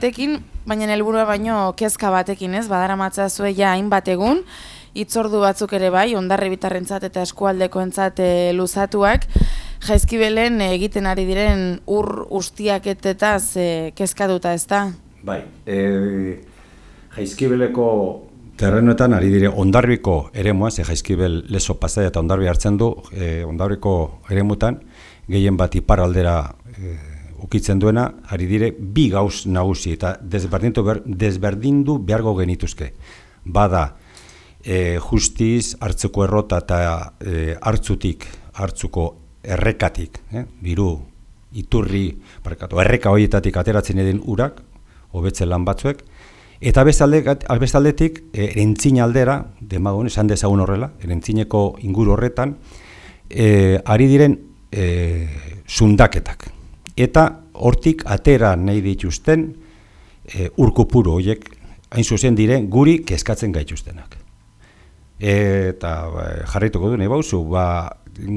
batekin, baina helburua baino kezka batekin, ez? Badaramatza ja hainbat egun, hitzordu batzuk ere bai, Hondarribitarrentzat eta eskualdekoentzat luzatuak, Jaizkibelen egiten ari diren ur ustiaketetaz kezkatuta, ezta? Bai, Jaizkibeleko terrenoetan ari dire Hondarribiko eremuan, ze Jaizkibel Lezo Pasaia eta Hondarribia hartzen du, Hondarribiko eremutan gehien bat iparraldera ukitzen duena, ari dire bi gauz nagusi eta desberdindu behargo genituzke. Bada, justiz, hartzuko errota eta hartzuko errekatik, biru, iturri, erreka horietatik ateratzen edin urak, hobetzen lan batzuek, eta bestaldetik, erentzin aldera, demagun, esan dezagun horrela, erentzineko inguru horretan, ari diren sundaketak. Eta hortik atera nahi dituzten urkupuru horiek hain zuzen diren guri kezkatzen gaituztenak. Eta jarraituko du nahi bauzu,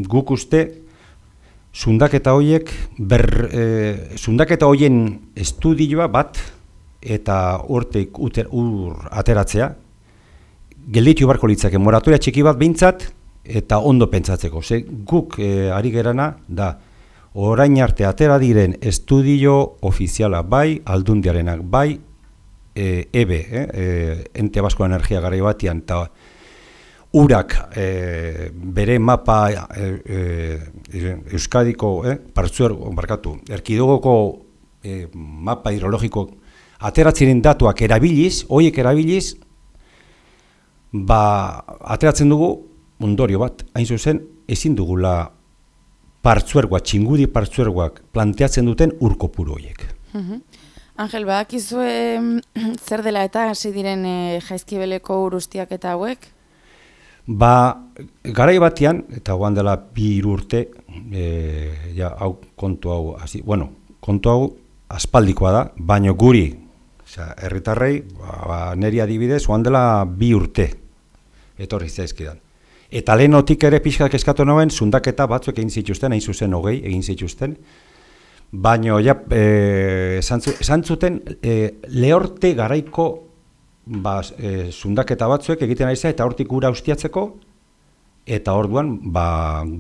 guk uste sundaketa horiek, sundaketa horien estudioa bat eta hortik ur ateratzea, gelditu barko litzake moratoria txiki bat behintzat eta ondo pentsatzeko. Ze guk ari gerana da, orain arte atera diren estudio ofiziala bai, aldundiarenak bai, EBE, Ente Basko Energia garai batian, eta urak bere mapa Euskadiko, erkidegoko mapa hidrologiko ateratzen datuak erabiliz, horiek erabiliz, ateratzen dugu ondorio bat, hain zuzen, ezin dugula txingudi partzuergoak planteatzen duten urkopuru horiek. Angel, badakizue zer dela eta hasi diren Jaizkibeleko ur ustiaketa hauek? Garai batean, eta guan dela 2 urte, kontu hau aspaldikoa da, baina guri, herritarrei, neri adibidez, guan dela 2 urte, etorri zaizkidan. Eta lehenotik ere pixkak eskatu nuen, sundaketa batzuk egin zituzten, hain zuzen 20 egin zituzten, baina esan zuten lehorte garaiko sundaketa batzuek egiten ari eta hortik ura ustiatzeko, eta orduan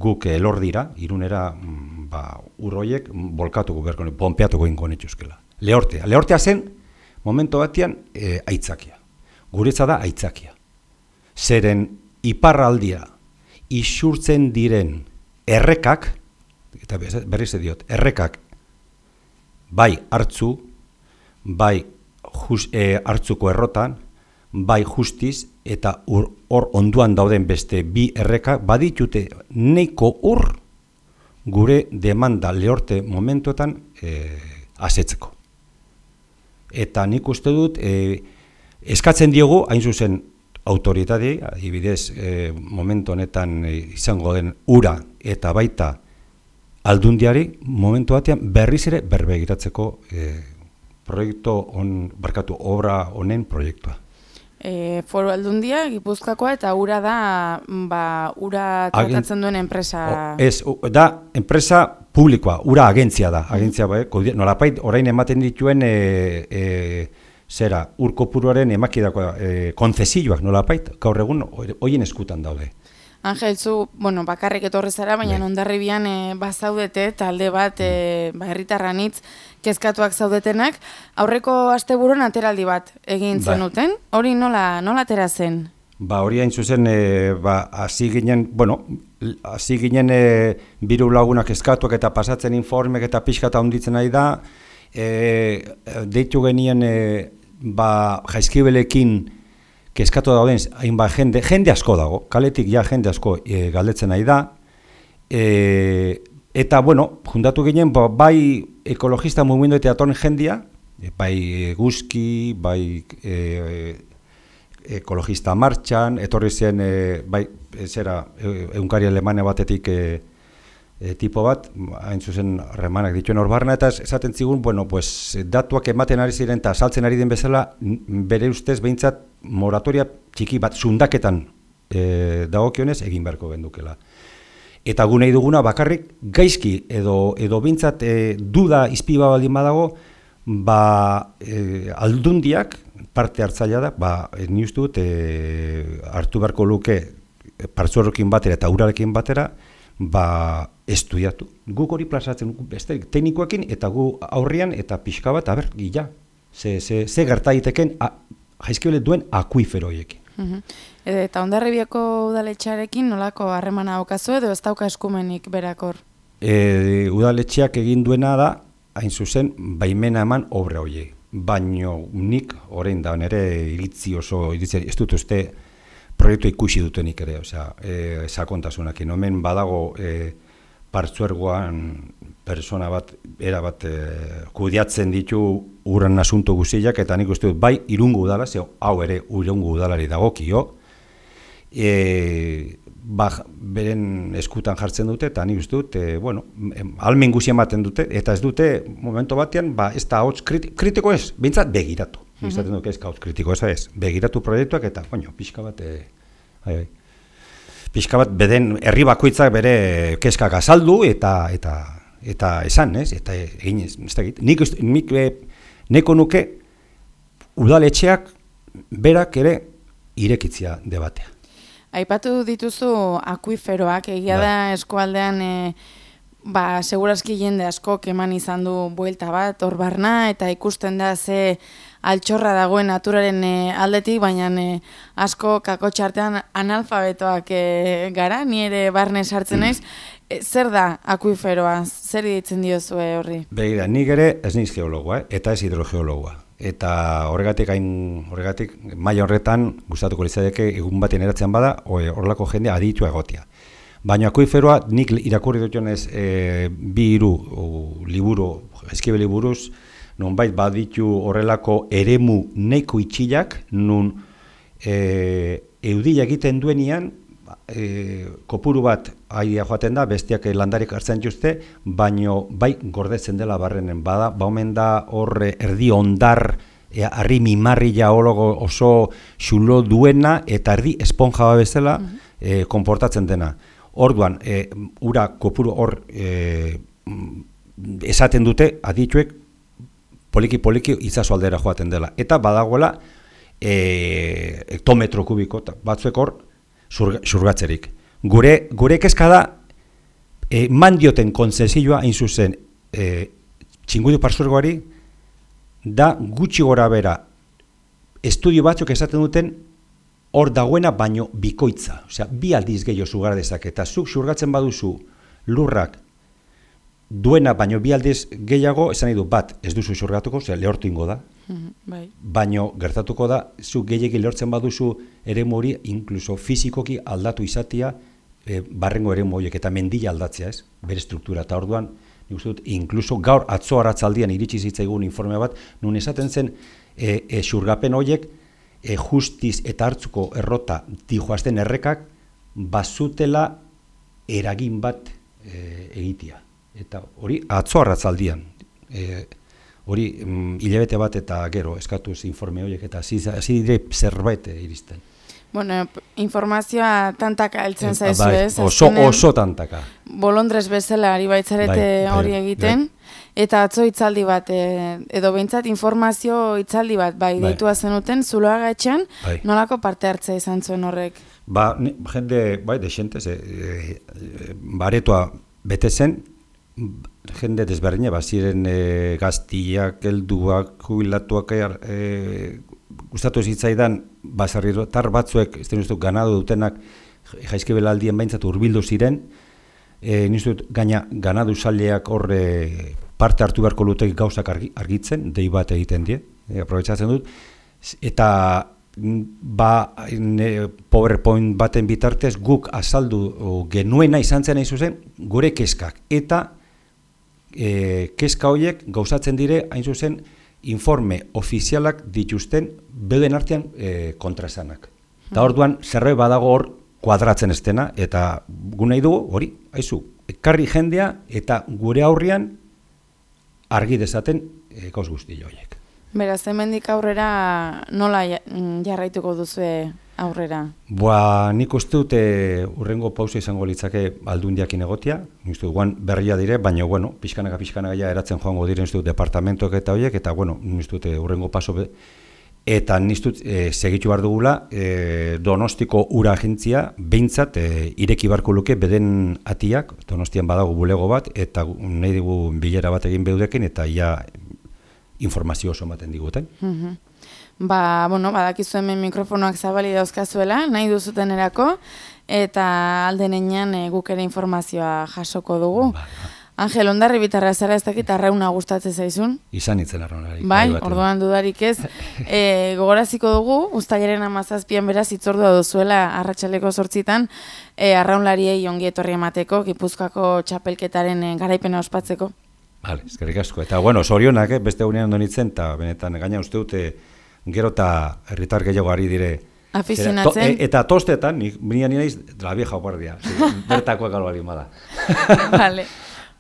guk elor dira, Irunera ur horiek bolkatuko berko, ponpeatuko ingo netuzkela. Lehortea zen, momentu batean, aitzakia. Guretza da aitzakia. Zeren iparraldia isurtzen diren errekak, eta berriz diot, errekak bai hartzu, bai hartzuko errotan, bai justiz, eta hor onduan dauden beste 2 errekak baditute neiko ur gure demanda lehorte momentuetan asetzeko. Eta nik uste dut, eskatzen diogu, hain zuzen, autoritari, adibidez, momentu honetan izango den ura eta baita aldundiari, momentu batean berriz ere berbegiratzeko obra honen proiektua. Foru Aldundia, Gipuzkoakoa, eta ura da, ura tratatzen duen enpresa... Da, enpresa publikoa, ura agentzia da, nolapait orain ematen dituen urkopuruaren emakidako konzesioak nolapait, gaur egun horien eskutan daude. Angel, zu, bakarrik etorri zara, baina Hondarribian bazaudete, talde bat, herritarranitz kezkatuak zaudetenak, aurreko asteburuan ateraldi bat egin zenuten, hori nola atera zen? Hori hain zuzen, hasi ginen biru lagunak kezkatuak eta pasatzen informek eta pixkata honditzen nahi da, deitu genien Jaizkibelekin kezkatu dauden hainbat jende asko dago, kaletik jende asko galdetzen nahi da, eta juntatu ginen bai ekologista mugimendu eta atoren jendia, bai guzki, bai ekologista martxan, etorri zen egunkari alemania batetik tipo bat, hain zuzen remanak dituen hor barna, eta esaten zigun, datuak ematen ari ziren eta saltzen ari den bezala, bere ustez behintzat moratoria txiki bat sundaketan dagokionez egin beharko gendukela. Eta gu nahi duguna bakarrik gaizki edo behintzat duda izpiba baldin badago, Aldundiak parte hartzailea da, ni uste dut hartu beharko luke partzuerrekin batera eta urarekin batera, estudiatu. Guk hori plazatzen, teknikoekin eta gu aurrian eta pixka bat, gila, ze gerta daiteken Jaizkibel duen akuifero horiekin. Eta Hondarribiako udaletxearekin nolako harremana daukazu edo ez dauka eskumenik berakor? Udaletxeak egin duena da, hain zuzen, baimena eman obra horiek. Baino nik, orain da, nire iritzi ez dut uste proiektu ikusi dutenik ere, sakontasunakin. Hemen badago partzuergoan persona bat, erabat kudeatzen ditu urran asunto guztiak, eta nik uste dut bai Irungo udala, hau ere Irungo udalari dagokio, beren eskutan jartzen dute, eta nik uste dut, almen guzien baten dute, eta ez dute, momento batean, ez da hotz kritiko ez, bintzat begiratu. Izaten duk ez hotz kritiko ez, begiratu proiektuak, eta, pixka bat, pixka bat, beden herri bakoitzak bere keskak azaldu, eta esan, ez? Eta egin ez da egit. Nik neko nuke udaletxeak berak ere irekitzia debatea. Aipatu dituzu akuiferoak, egia da eskualdean segurazki jende askok eman izan du buelta bat, hor barna, eta ikusten da ze altxorra dagoen naturaren aldetik, baina asko kakotxartean analfabetoak gara, ni ere barne sartzen naiz. Zer da akuiferoa? Zer ditzen diozue horri? Begira, nik ere ez niz geologoa, eta ez hidrogeologoa. Eta horregatik maila horretan gustatuko litzateke egun baten eratzen bada, horrelako jende aditua egotea. Baina akuiferoa nik irakurri dutenez 2-3 liburu, Jaizkibel liburuz, nonbait baditu horrelako eremu neiko itxilak, nun eudia egiten duenian, kopuru bat aidea joaten da, bestiak landarik hartzen juzte, baino bai gordetzen dela barrenen bada, omen da horre erdi ondar, harri mimarria oso xulo duena, eta erdi esponja bezala konportatzen dena. Orduan, ura kopuru hor esaten dute, adituek, poliki itzazu aldera joaten dela. Eta badagoela, hektometro kubiko, batzuek hor, xurgatzerik. Gure kezka da, mandioten kontzesioa hain zuzen Txingudu partzuergoari, da gutxi gora bera estudio batzuk esaten duten hor dagoena baino bikoitza. Osea, 2 aldiz gehiago xurgar dezake, eta zuk xurgatzen baduzu lurrak duena baino 2 aldiz gehiago, esan nahi du bat ez duzu xurgatuko, lehortu ingo da. Baino gertatuko da, zuk gehiegi lehortzen baduzu eremu hori, inkluso fizikoki aldatu izatea barrengo eremu horiek, eta mendila aldatzea, ez? Bere struktura, eta orduan, nik uste dut, inkluso gaur atzo arratzaldian iritsi zitzaigun informe bat, nun esaten zen xurgapen horiek, justiz eta hartzuko errota dijoazten errekak bazutela eragin bat egitea. Eta hori atzo arratzaldian, hori hilabete bat eta gero eskatuz informe horiek, eta hasi dire zerbait iristen. Bueno, informazioa tantaka heltzen zaizu, ez? Oso tantaka. Bolondrez bezala ari baitzarete hori egiten. Eta atzo hitzaldi bat, edo behintzat informazio hitzaldi bat, deitua zenuten, Zuloaga etxean, nolako parte hartzea izan zuen horrek? Jende, desente, aretoa bete zen, jende desberdine, ziren gaztiak, helduak, jubilatuak, gustatu zitzaidan, baserritar batzuek, ez denuztu, ganado dutenak, Jaizkibel aldien behintzat hurbildu ziren, nizut, ganadu saleak horre parte hartu beharko lutek gauzak argitzen, dei bat egiten die, aprobetsatzen dut, eta PowerPoint baten bitartez guk azaldu genuena izan zen zuzen gure kezkak, eta kezka horiek gauzatzen dire hain zuzen informe ofizialak dituzten beuden artean kontraesanak. Eta orduan zerbait badago hor kuadratzen ez dena, eta gu nahi dugu hori, haizu, ekarri jendea eta gure aurrian argi dezaten gauz guzti horiek. Beraz, hemendik aurrera nola jarraituko duzue aurrera? Nik uste dut urrengo pausa izango litzake Aldundiakin egotia, nik uste dut guan berria dire, baina, bueno, pixkanaka ja eratzen joango diren, nik uste dut departamentok eta horiek, eta, bueno, nik uste dut urrengo paso eta nik uste dut segitu behar dugula Donostiko ura agentzia behintzat ireki barko luke beden atiak, Donostian badago bulego bat, eta nahi dugu bilera bat egin beudekin, eta ja informazio oso ematen diguten. Badakizu hemen mikrofonoak zabali dauzkazuela, nahi duzuten erako, eta aldenean guk ere informazioa jasoko dugu. Angel, Hondarribitarra zara ez dakit Arrauna gustatzen zaizun? Izan itzen Arraunari. Bai, orduan dudarik ez. Gogoraziko dugu, uztailaren 17an beraz hitzordua duzuela arratsaleko 8 arraunlariei ongi etorri emateko, Gipuzkoako txapelketaren garaipena ospatzeko. Vale, eskerrik asko. Eta, zorionak, beste egunean donitzen, eta benetan gaina uste dute gero eta herritar gehiago ari dire. Afizionatzen. Eta tostetan, nire naiz, la vieja guardia. Bertakoak albarin bada. Vale.